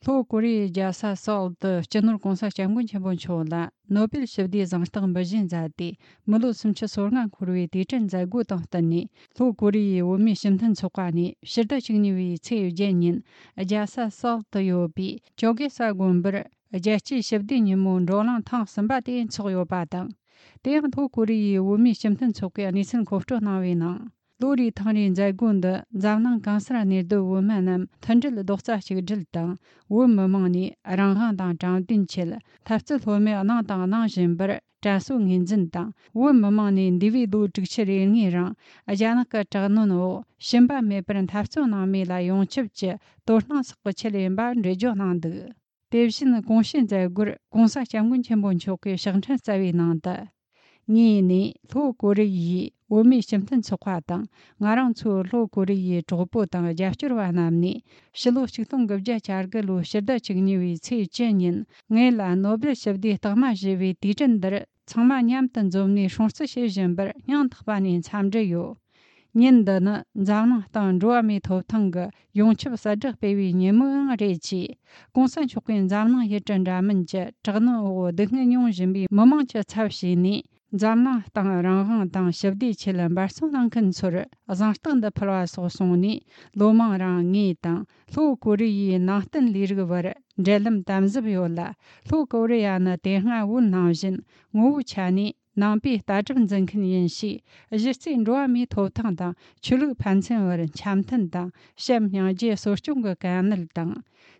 로 고리 자사 사우드 제너럴 공사 장군 첨본초라 노벨 시디 장스당 버진자디 물로 숨치 소르간 고르위 디전 자고 당다니 로 고리 오미 심튼 초과니 시다 징니위 체유제닌 자사 사우드 요비 조게사 곰버 자치 시디 니몬 로랑 탕 선바디 초요바당 대양 로 고리 오미 심튼 초과 니슨 고프토 나위나 로리 탕린 자군的장난 간스라니도 우만남 탄질 독자 시글당 우머망니 아랑한당 장딘칠 탑츠 호메 아나당 나진버 자수 인진당 우머망니 디비도 직치리니랑 아자나카 자노노 심바 메브른 탑츠 나미라 용칩지 도르나스고 칠림바 레조난드 대신 공신자구 공사 장군 첨본 초계 상천 사위난다 니니 로고르이 오미 심튼 초과당 나랑초 로고르이 조보당 자프르와남니 실로 식동급자 자르글로 시다 징니위 체제닌 녜라 노벨 셔디 타마지위 디전더 청마 냠든 좀니 송스 시즌버 냥탁바니 참제요 닌더는 장나 당 조아미 토탕거 용치 사적 베위 니멍 레치 공산 초권 장나 예전자문제 저노 등은 용진비 머망체 차시니 잠나 당랑한 당 셔디 칠은 바송당 근소르 아장스탄의 플라소송니 로망랑이 당 소코리이 나튼 리르거버 젤름 담즈비올라 소코리아나 대하 운나진 오우차니 남비 다점전큰 인시 지신 로아미 토탕당 출루 판천어른 참튼당 샘냥제 소중거 간을당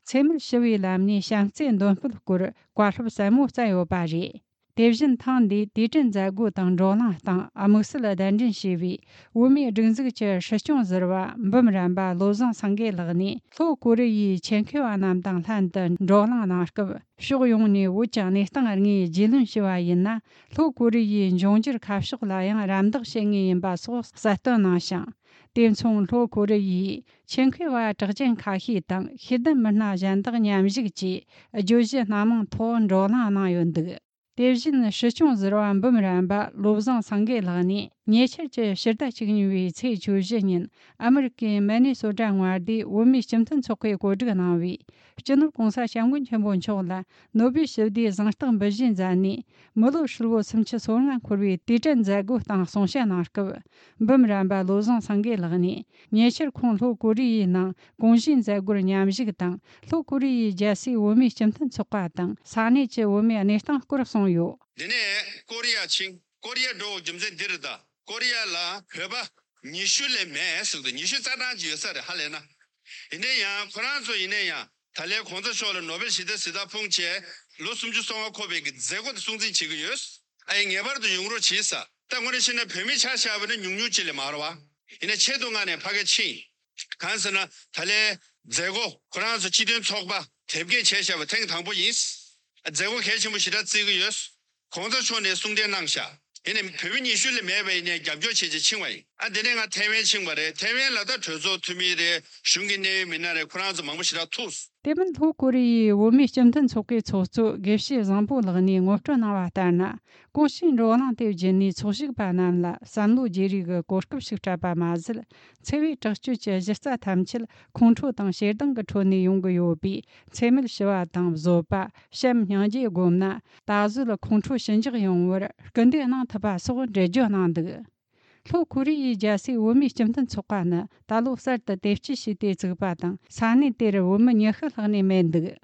세밀 시위람니 샹센 돈풀고르 과르브사모 자요바리 대신 탕디 디전 자고 당 조나 당 아무슬라 단진 시위 우미 증즈게 시숑즈르와 범람바 로장 상게르니 소고르이 첸케와남 당 탄던 조나 나스거 쇼용니 우장니 땅아니 지른 시와이나 소고르이 종지르 카프식라양 람덕 생이인바 소 사토나샹 덴총 로고르이 첸케와 적진 카히 당 히든 만나 잔덕 냠지기 조지 남은 토 조나 나연드 대신 시중즈로안 범람바 로장 상게라니 niecherje shirda chigniwi cei chujinin American Minnesota-wardi wumi shimtan chokwe gozhiga nawi General Gongsa Xiangun Qianbon Chola Nobi Shivdi Zangshtang Bajin Zani Molo Shilwo Simchi Sorangan Kurwi Dijan Zagu Tang Songsha Narkaw Bumramba Lozang Sangge Lagni Niecher Kong Lo Gori Nang Gongjin Zagur Nyamjig Tang Lo Gori Jasi wumi shimtan chokwa Tang Sani Che wumi Anishtang Kur Songyo Dene Korea Ching Korea Do Jimzen Dirda 코리아라 그봐 니슈레 메스도 니슈 자단지여서 할래나 이내야 프랑스 이내야 달래 콘서쇼를 노벨 시대 풍체 로숨주 송화 코베 제고도 송진 지그여스 아이 예바르도 용으로 지사 땅원의 신의 뱀이 차시아버는 육류질에 말와 이내 최동안에 파게치 간서나 달래 제고 프랑스 지든 속바 대개 제시아버 탱 당부 인스 제고 개침부시다 지그여스 콘서쇼의 송된 낭샤 이는 표현이 실내 매매에 감조 체제 칭와이 아 내가 대면 칭바래 대면라다 저조 투미의 중기내 민나의 프랑스 망무시라 투스 대면 도코리 오미 심튼 속에 초초 개시 장보르니 ngopchna와타나 고신 로랑 대진니 초식 바나라 산루 제리가 고스급식 잡아마즈 체위 적주 제제사 탐칠 공초 당 셰등 거 초니 용거 요비 체밀 시와 당 조바 샘냥지 곰나 다즈르 공초 신지 용워 근데나 타바 소고 제조난드 소코리 자시 오미 심튼 속과나 달로서드 대치 시대 저바당 산이 때를 오면 여흐르니 맨드